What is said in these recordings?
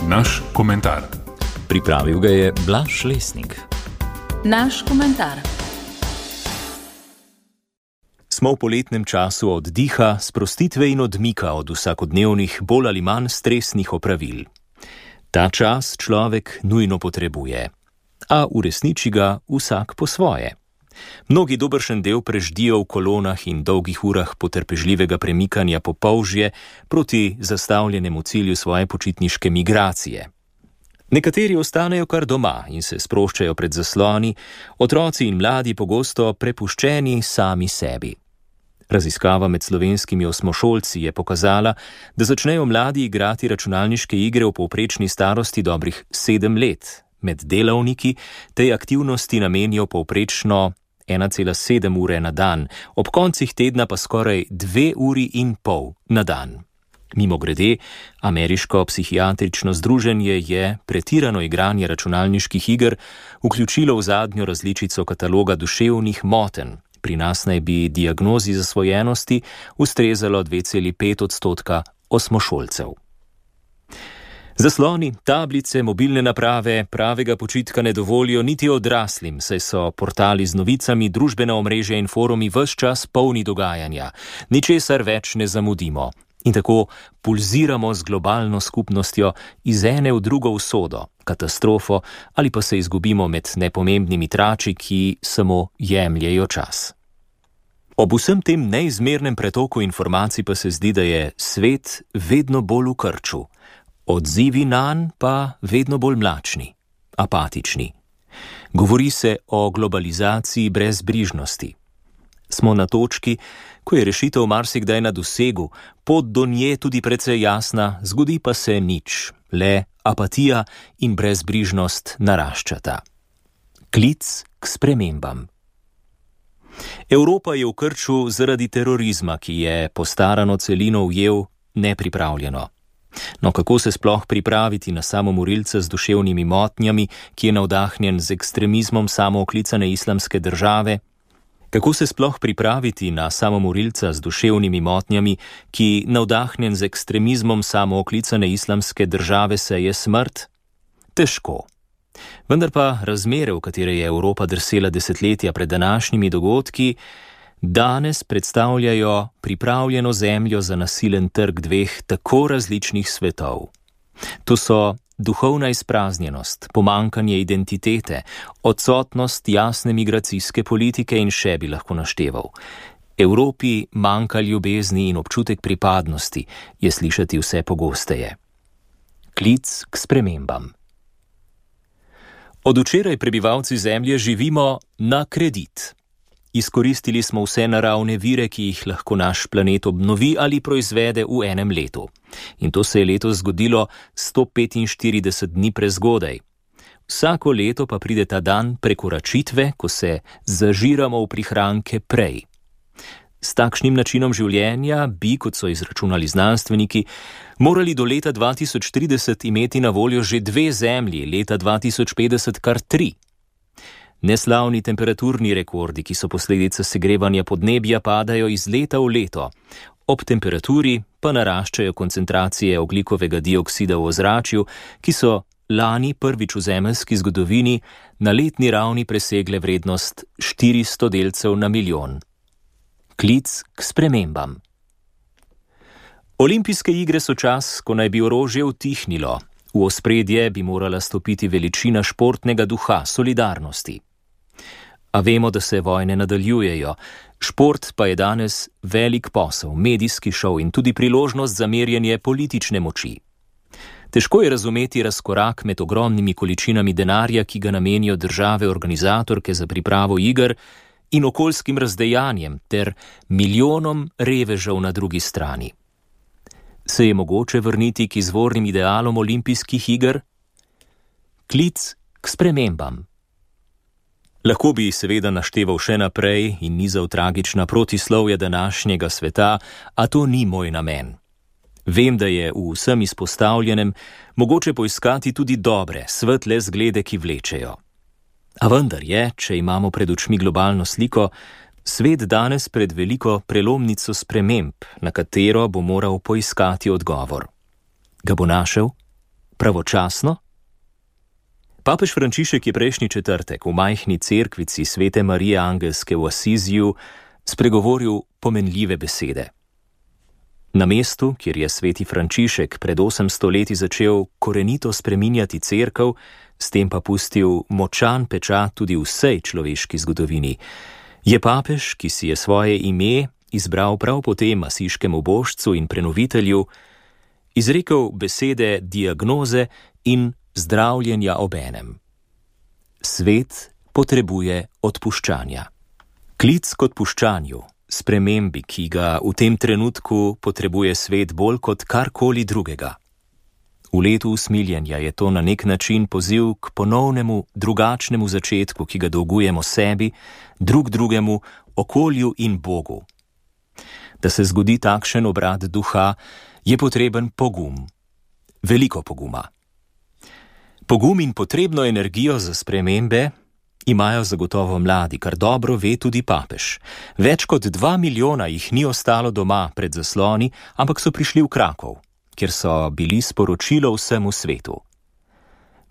Naš komentar. Pripravil ga je Blaž Lesnik. Naš komentar. Smo v poletnem času oddiha, sprostitve in odmika od vsakodnevnih, bolj ali manj stresnih opravil. Ta čas človek nujno potrebuje, a uresniči ga vsak po svoje. Mnogi dobršen del preždijo v kolonah in dolgih urah potrpežljivega premikanja po polžje proti zastavljenemu cilju svoje počitniške migracije. Nekateri ostanejo kar doma in se sproščajo pred zasloni, otroci in mladi pogosto prepuščeni sami sebi. Raziskava med slovenskimi osmošolci je pokazala, da začnejo mladi igrati računalniške igre v povprečni starosti dobrih 7 let. Med delavniki tej aktivnosti namenijo povprečno 1,7 ure na dan, ob koncih tedna pa skoraj 2,5 ure na dan. Mimogrede, ameriško psihiatrično združenje je pretirano igranje računalniških iger vključilo v zadnjo različico kataloga duševnih motenj. Pri nas naj bi diagnozi zasvojenosti ustrezalo 2,5% osmošolcev. Zasloni, tablice, mobilne naprave pravega počitka ne dovolijo niti odraslim, saj so portali z novicami, družbena omrežja in forumi ves čas polni dogajanja. Ničesar več ne zamudimo. In tako pulziramo z globalno skupnostjo iz ene v drugo usodo, katastrofo ali pa se izgubimo med nepomembnimi trači, ki samo jemljejo čas. Ob vsem tem neizmernem pretoku informacij pa se zdi, da je svet vedno bolj v krču. Odzivi nanj pa vedno bolj mlačni, apatični. Govori se o globalizaciji brezbrižnosti. Smo na točki, ko je rešitev marsikdaj na dosegu, pot do nje tudi precej jasna, zgodi pa se nič, le apatija in brezbrižnost naraščata. Klic k spremembam. Evropa je v krču zaradi terorizma, ki je postarano celino ujel nepripravljeno. No, kako se sploh pripraviti na samomorilca z duševnimi motnjami, ki je navdahnjen z ekstremizmom samooklicane islamske države? Kako se sploh pripraviti na samomorilca z duševnimi motnjami, ki navdahnjen z ekstremizmom samooklicane islamske države seje smrt? Težko. Vendar pa razmere, v katere je Evropa drsela desetletja pred današnjimi dogodki, danes predstavljajo pripravljeno zemljo za nasilen trg dveh tako različnih svetov. To so duhovna izpraznjenost, pomanjkanje identitete, odsotnost jasne migracijske politike in še bi lahko našteval. Evropi manjka ljubezni in občutek pripadnosti, je slišati vse pogosteje. Klic k spremembam. Od včeraj prebivalci Zemlje živimo na kredit. Izkoristili smo vse naravne vire, ki jih lahko naš planet obnovi ali proizvede v enem letu. In to se je letos zgodilo 145 dni prezgodaj. Vsako leto pa pride ta dan prekoračitve, ko se zažiramo v prihranke prej. S takšnim načinom življenja bi, kot so izračunali znanstveniki, morali do leta 2030 imeti na voljo že 2 zemlji, leta 2050 kar 3. Neslavni temperaturni rekordi, ki so posledica segrevanja podnebja, padajo iz leta v leto. Ob temperaturi pa naraščajo koncentracije ogljikovega dioksida v ozračju, ki so lani prvič v zemeljski zgodovini na letni ravni presegle vrednost 400 delcev na milijon. Klic k spremembam. Olimpijske igre so čas, ko naj bi orožje utihnilo. V ospredje bi morala stopiti veličina športnega duha, solidarnosti. A vemo, da se vojne nadaljujejo. Šport pa je danes velik posel, medijski šov in tudi priložnost za merjenje politične moči. Težko je razumeti razkorak med ogromnimi količinami denarja, ki ga namenijo države organizatorke za pripravo iger, in okoljskim razdejanjem ter milijonom revežev na drugi strani. Se je mogoče vrniti k izvornim idealom olimpijskih iger? Klic k spremembam. Lahko bi seveda našteval še naprej in nizal tragična protislovja današnjega sveta, a to ni moj namen. Vem, da je v vsem izpostavljenem mogoče poiskati tudi dobre, svetle zglede, ki vlečejo. A vendar je, če imamo pred očmi globalno sliko, svet danes pred veliko prelomnico sprememb, na katero bo moral poiskati odgovor. Ga bo našel? pravočasno? Papež Frančišek je prejšnji četrtek v majhni cerkvici Svete Marije Angelske v Asiziju spregovoril pomenljive besede. Na mestu, kjer je sveti Frančišek pred 800 leti začel korenito spreminjati cerkev, s tem pa pustil močan pečat tudi vsej človeški zgodovini, je papež, ki si je svoje ime izbral prav po tem asiškemu božcu in prenovitelju, izrekel besede diagnoze in zdravljenja obenem. Svet potrebuje odpuščanja. Klic k odpuščanju, spremembi, ki ga v tem trenutku potrebuje svet bolj kot karkoli drugega. V letu usmiljenja je to na nek način poziv k ponovnemu, drugačnemu začetku, ki ga dolgujemo sebi, drug drugemu, okolju in Bogu. Da se zgodi takšen obrat duha, je potreben pogum. Veliko poguma. Pogum in potrebno energijo za spremembe imajo zagotovo mladi, kar dobro ve tudi papež. Več kot 2 milijona jih ni ostalo doma pred zasloni, ampak so prišli v Krakov, kjer so bili sporočilo vsemu svetu.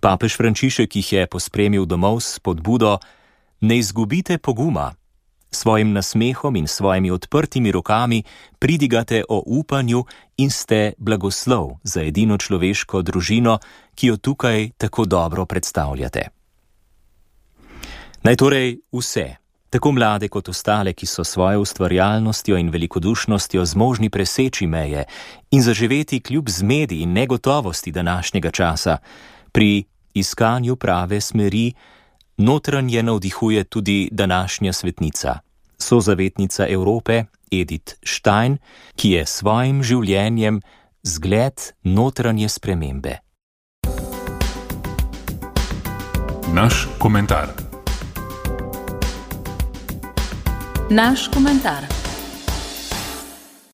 Papež Frančišek jih je pospremil domov s spodbudo: ne izgubite poguma. Svojim nasmehom in svojimi odprtimi rokami pridigate o upanju in ste blagoslov za edino človeško družino, ki jo tukaj tako dobro predstavljate. Naj torej vse, tako mlade kot ostale, ki so svojo ustvarjalnostjo in velikodušnostjo zmožni preseči meje in zaživeti kljub zmedi in negotovosti današnjega časa, pri iskanju prave smeri notranje navdihuje tudi današnja svetnica, sozavetnica Evrope Edith Stein, ki je svojim življenjem zgled notranje spremembe. Naš komentar. Naš komentar.